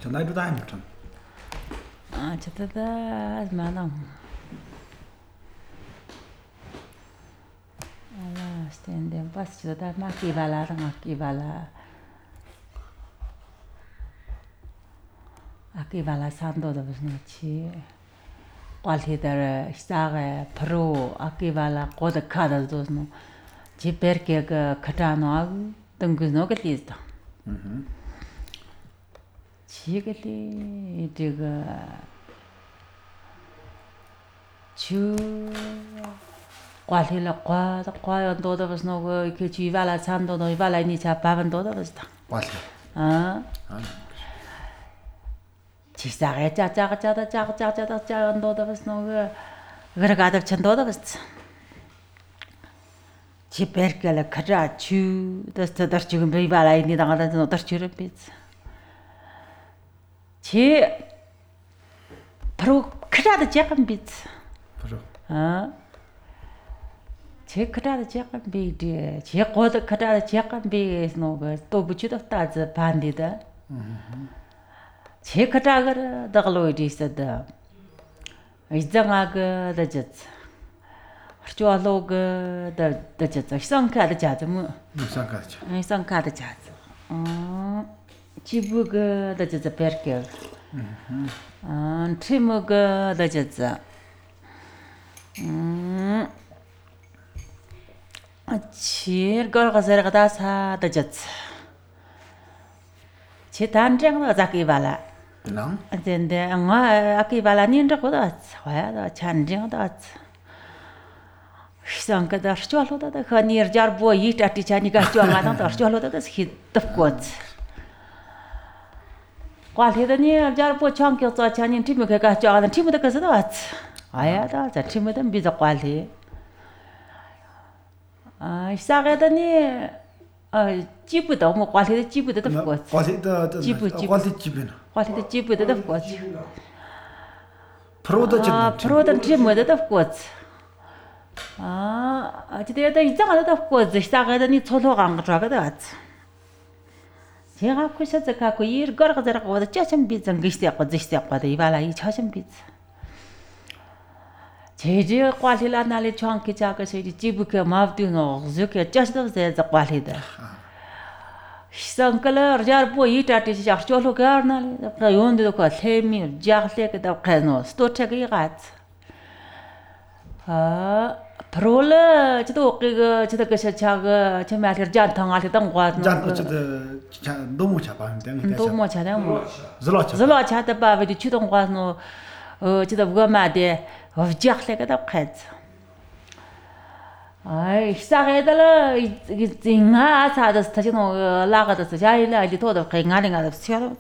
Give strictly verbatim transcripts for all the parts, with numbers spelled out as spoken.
저 나이도 다 아니죠. 아, 저다 많아. 알아, 스탠데 pas 저다 마키 발라랑 마키 발라. 아키 발라 산도도 무슨 치. qualidade stare pro 아키 발라 고드 카다도 너. 지베르게 그 카타노 등그노 게리스다. 음. 지게리 이거 주 qualidade 과다 과연도도 무슨 거 이렇게 주발라 산도도 이발라 니차 바반도도 무슨다. 맞아. 아. 아. 지사게 짜짜가 짜다 짜가 짜짜다 짜연도도 무슨 거 그러가다 천도도 무슨 지베르게 카자 주 더더 지금 이발라 니 당하다 너 더치를 비츠 지 프로 크라드 제간 비츠 프로 아 제 크라드 제간 비디 제 고드 크라드 제간 비스 노가 또 붙이다 따즈 반디다 제 크라가 더글로이디 있어다 이장아가 더졌 저로가 더 더졌 상카드 자즈 뭐 상카드 이 상카드 자즈 어 지부가 더졌 베르케 아 트리무가 더졌 음 치 걸가서가 다사 더졌 치 단정가 자기발라 랑 근데 anga akivala ninda koda waya da chanjing da sanka da cholo da khanir jar bo yit ati chani ga chwa da da cholo da hit tafkot quali da ni jar bo chang kyo cha chani timu ga ga chwa da timu da ka da waya da za timu da bi da quali 아 사게 da ni 아 지부다 뭐 quali da 지부다 tafkot quali da 지부 quali 지부나 quali 지부다 tafkot 프로도 좀 아, 프로던 팀뭐다 덮고. 아, 어디에다 이장하다 덮고 시작하더니 초로간 거 저거다. 제가 그셔서 갖고 일 걸어가다가 어디 짜증 비전 기시하고 지시하고 이발아 이 차심 비. 제제 관리라 날에 정기 작아서 이 집게 마브드노 저게 짜서도 제자 관리다. 시상클러 jar 보이 따티 시작 저로 가르나리 요온데도 그 세미 자르게 다 카노 스토체기 같. 아 프롤 저도 그 저도 그 자가 정말 잔탕 알게 당 과는 잔 저도 자 너무 잡아면 되는 너무 잘해 뭐 zlo zlo 차다 바베디 추동 과는 어 저도 뭐가 마데 어 자르게 다 카트. 아이 시작해달라 이징아 사다스 타지노 라가다스 자일라 이제 도도 갱아링아 셔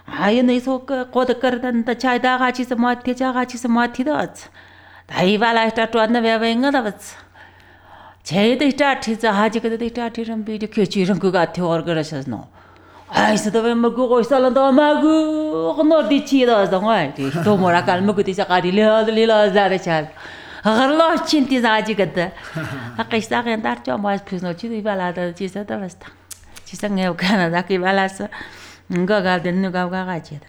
아이 네소 그 고드 거든다 차이다 같이서 마티 자 같이서 마티다 다이발라 스타트 안나 베베인가다 제데 스타트 자 하지거든 스타트는 비디 켜지는 그 같아 얼그러셔노 아이스도 왜 먹고 있을런도 마구 너디치다 정말 또 뭐라 갈먹고 디자 가리려 들리려 자르차 아글로 친티 자지거든 아까 시작한 달죠 뭐 피스노 치도 이발라다 지서다 버스타 지성에 오가나 나기 발라서 응거가 된 누가 가가지다